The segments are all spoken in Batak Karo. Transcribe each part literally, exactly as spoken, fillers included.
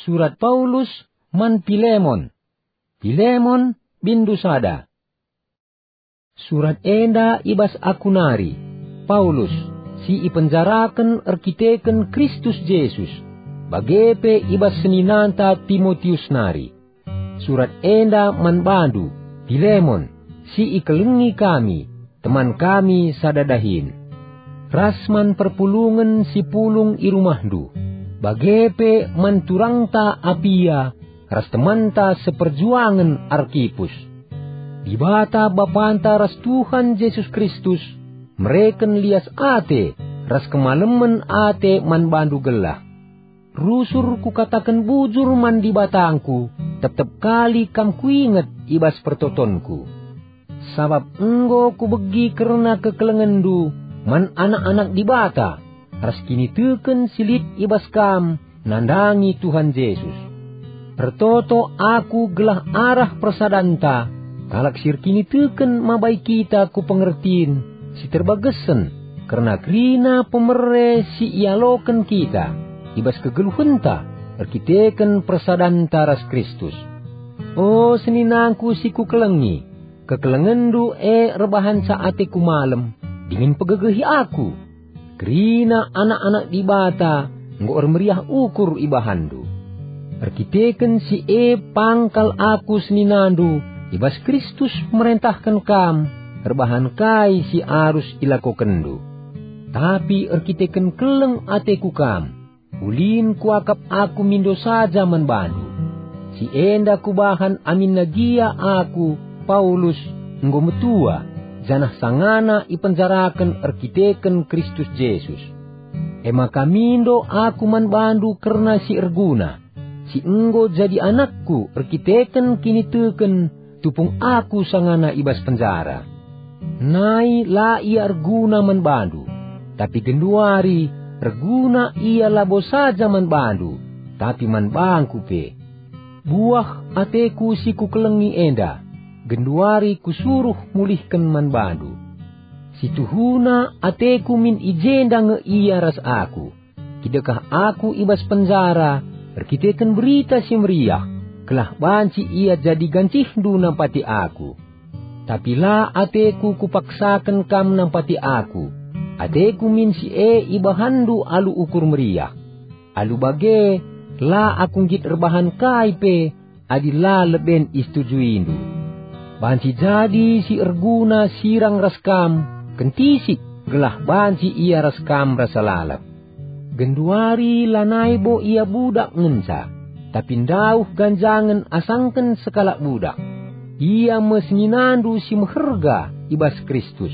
Surat Paulus man Pilemon. Pilemon, binndu sada. Surat enda i bas aku nari, Paulus, si ipenjaraken erkiteken Kristus Jesus, bage pe i bas seninanta Timotius nari. Surat enda man bandu, Pilemon, si ikelengi kami, teman kami sada dahin, ras man perpulungen si pulung i rumahndu, bage pe man turangta Apia ras temanta seperjuangen Arkipus. Dibata Bapanta ras Tuhan Jesus Kristus mereken lias ate ras kemalemen ate man bandu gelah. Rusur kukataken bujur man Dibatangku, tep-tep kali kam kuinget i bas pertotonku. Sabap enggo kubegi kerna kekelengenndu man anak-anak Dibata ras kiniteken si lit i bas kam nandangi Tuhan Jesus. Ertoto aku gelah arah persadanta kalak si erkiniteken mabai kita ku pengertin si terbagesen kerna kerina pemere si ialoken kita i bas kegeluhenta erkiteken persadanta ras Kristus. O seninangku si kukelengi, kekelengenndu e erbahanca ateku malem, dingen pegegehi aku. Kerina anak-anak Dibata enggo ermeriah ukur ibahanndu. Erkiteken si e pang kal aku seninandu i bas Kristus merentahken kam erbahan kai si arus ilakokenndu. Tapi erkiteken keleng ateku kam, ulin kuakap aku mindo saja man bandu. Si enda kubahan aminna gia aku, Paulus, enggo metua, janah sangana ipenjaraken erkiteken Kristus Jesus. E maka mindo aku man bandu kerna si erguna, si enggo jadi anakku erkiteken kiniteken tupung aku sangana i bas penjara. Nai la ia erguna man bandu, tapi genduari erguna ia labo saja man bandu, tapi man bangku pe. Buah ateku si kukelengi enda, genduari kusuruh mulihken man bandu. Si tuhuna ateku min i jenda nge ia ras aku. Kidekah aku i bas penjara erkiteken Berita Si Meriah, gelah banci ia jadi gancihndu nampati aku. Tapi la ateku kupaksaken kam nampati aku, ateku min si e ibahanndu alu ukur meriah. Alu bage, la aku nggit erbahan kai pe adi la leben isetujuindu. Banci jadi si erguna sirang ras kam, kentisik gelah banci ia ras kam rasa lalap. Genduari lanai bo ia budak ngenca, tapi ndauh ganjangen asangken sekalak budak. Ia me seninandu si meherga i bas Kristus.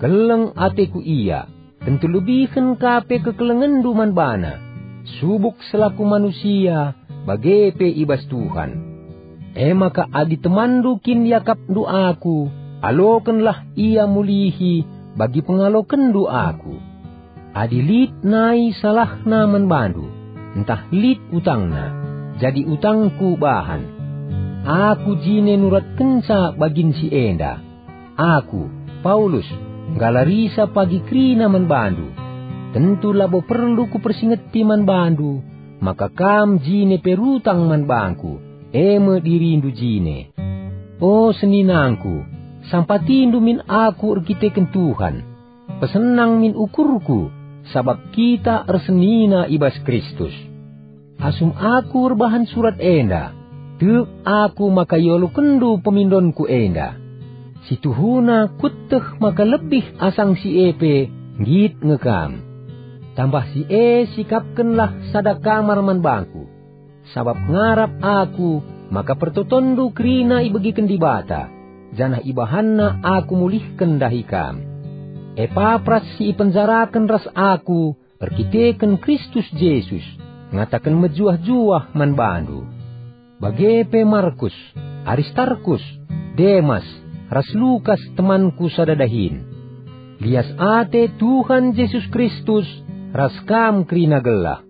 Keleng ateku ia, tentu lebihen ka pe kekelengenndu man bana, subuk selaku manusia, bage pe i bas Tuhan. E maka adi temanndu kin iakapndu aku, alokenlah ia mulihi bagi pengalokenndu aku. Adi lit nai salahna man bandu, ntah lit utangna, jadi utangku bahan. Aku jine nuratkenca bagin si enda. Aku, Paulus, nggalarisa pagi kerina man bandu. Tentu labo perlu kupersingeti man bandu, maka kam jine perutang man bangku, e me dirindu jine. O seninangku, sampatindu min aku erkiteken Tuhan. Pesenang min ukurku, sabap kita ersenina i bas Kristus. Asum aku erbahan surat enda, tek aku maka ialokenndu pemindonku enda. Si tuhuna kueteh maka lebih asang si e pe nggit nge kam. Tambah si e sikapkenlah sada kamar man bangku, sabap ngarap aku maka pertotonndu kerina ibegiken Dibata, janah ibahanNa aku mulihken ndahi kam. Epapras si ipenjaraken ras aku erkiteken Kristus Jesus, ngataken mejuah-juah man bandu. Bage pe Markus, Aristarkus, Demas, ras Lukas temanku sada dahin. Lias ate Tuhan Jesus Kristus ras kam kerina gelah.